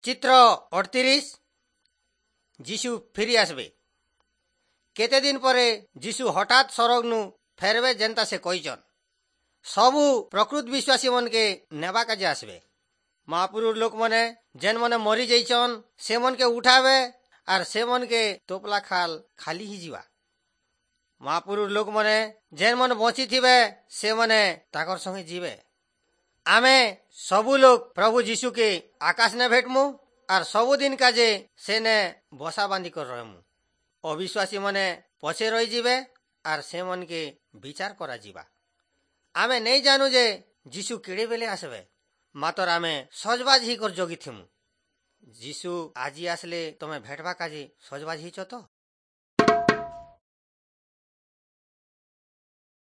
ଚିତ୍ର 38। ଯୀଶୁ ଫେରି ଆସିବେ। କେତେ ଦିନ ପରେ ଯୀଶୁ ହଠାତ୍ ସରଗନୁ ଫେରବେ, ଯେନ୍ତା ସେ କହିଛନ୍। ସବୁ ପ୍ରକୃତ ବିଶ୍ୱାସୀ ମନକେ ନେବା କାଜେ ଆସିବେ। ମହାପୁରୁର ଲୋକମାନେ ଯେନ୍ ମାନେ ମରି ଯାଇଛନ୍, ସେମନକେ ଉଠାବେ ଆର୍ ସେମନକେ ତୋପଲା ଖାଲ ଖାଲି ହେଇଯିବା। ମହାପୁରୁର ଲୋକମାନେ ଯେନ୍ ମାନେ ବଞ୍ଚିଥିବେ, ସେମାନେ ତାକର ସଙ୍ଗେ ଯିବେ। ଆମେ ସବୁ ଲୋକ ପ୍ରଭୁ ଯୀଶୁକେ ଆକାଶ ନେ ଭେଟମୁ ଆର୍ ସବୁଦିନ କାଜେ ସେନେ ବସା ବାନ୍ଧି କରି ରହମୁ। ଅବିଶ୍ୱାସୀ ମାନେ ପଛେ ରହିଯିବେ ଆର୍ ସେମାନକେ ବିଚାର କରାଯିବା। ଆମେ ନେଇ ଜାନୁ ଯେ ଯୀଶୁ କେଡ଼େ ବେଲେ আসবে, ମାତର ଆମେ ସଜବାଜ ହେଇକରି ଜଗିଥିମୁ। ଯୀଶୁ ଆଜି ଆସିଲେ ତମେ ଭେଟବା କାଜେ ସଜବାଜ ହେଇଛ ତ?